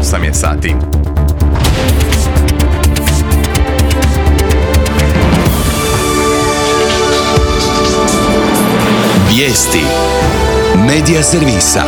8 je sati. Vijesti Medija servisa.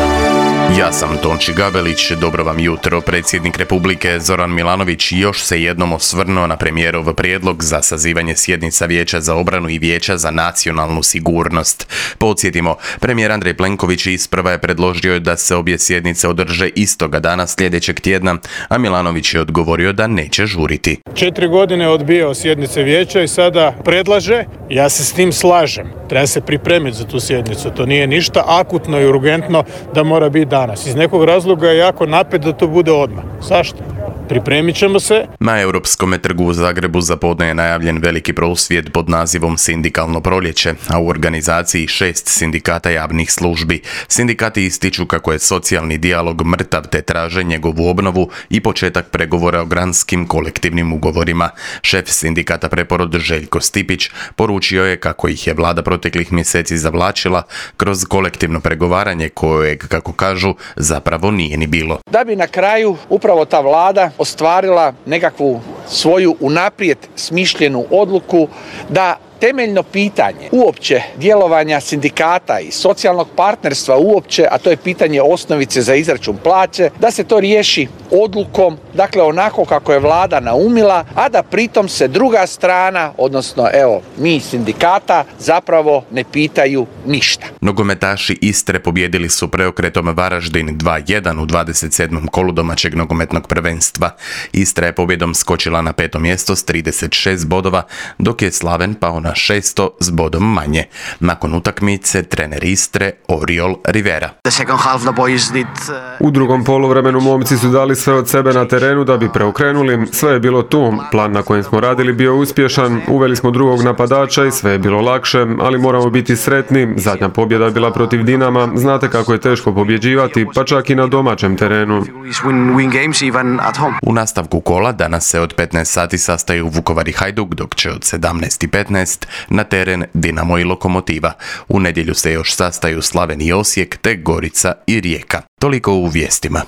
Ja sam Tonči Gabelić, dobro vam jutro. Predsjednik Republike Zoran Milanović još se jednom osvrnuo na premijerov prijedlog za sazivanje sjednica Vijeća za obranu i Vijeća za nacionalnu sigurnost. Podsjetimo, premijer Andrej Plenković isprva je predložio da se obje sjednice održe istoga dana sljedećeg tjedna, a Milanović je odgovorio da neće žuriti. 4 godine odbijao sjednice vijeća i sada predlaže, ja se s tim slažem. Treba se pripremiti za tu sjednicu, to nije ništa akutno i urgentno da mora biti danas. Iz nekog razloga je jako napet da to bude odmah. Zašto? Pripremit ćemo se. Na Europskom trgu u Zagrebu za podne je najavljen veliki prosvjed pod nazivom Sindikalno proljeće, a u organizaciji 6 sindikata javnih službi. Sindikati ističu kako je socijalni dijalog mrtav te traže njegovu obnovu i početak pregovora o granskim kolektivnim ugovorima. Šef sindikata Preporod Željko Stipić poručio je kako ih je vlada proteklih mjeseci zavlačila kroz kolektivno pregovaranje kojeg, kako kažu, zapravo nije ni bilo. Da bi na kraju upravo ta vlada ostvarila nekakvu svoju unaprijed smišljenu odluku da temeljno pitanje uopće djelovanja sindikata i socijalnog partnerstva uopće, a to je pitanje osnovice za izračun plaće, da se to riješi odlukom, dakle onako kako je vlada naumila, a da pritom se druga strana, odnosno mi sindikata, zapravo ne pitaju ništa. Nogometaši Istre pobjedili su preokretom Varaždin 2-1 u 27. kolu domaćeg nogometnog prvenstva. Istra je pobjedom skočila na 5. mjesto s 36 bodova, dok je Slaven pao na 6. s bodom manje. Nakon utakmice trener Istre Oriol Rivera. U drugom poluvremenu momci su dali sve od sebe na terenu da bi preokrenuli. Sve je bilo tu. Plan na kojem smo radili bio uspješan. Uveli smo drugog napadača i sve je bilo lakše, ali moramo biti sretni. Zadnja pobjeda je bila protiv Dinama. Znate kako je teško pobjeđivati, pa čak i na domaćem terenu. U nastavku kola danas se od 15 sati sastaju Vukovar i Hajduk, dok će od 17:15 na teren Dinamo i Lokomotiva. U nedjelju se još sastaju Slaven i Osijek te Gorica i Rijeka. Toliko u vijestima.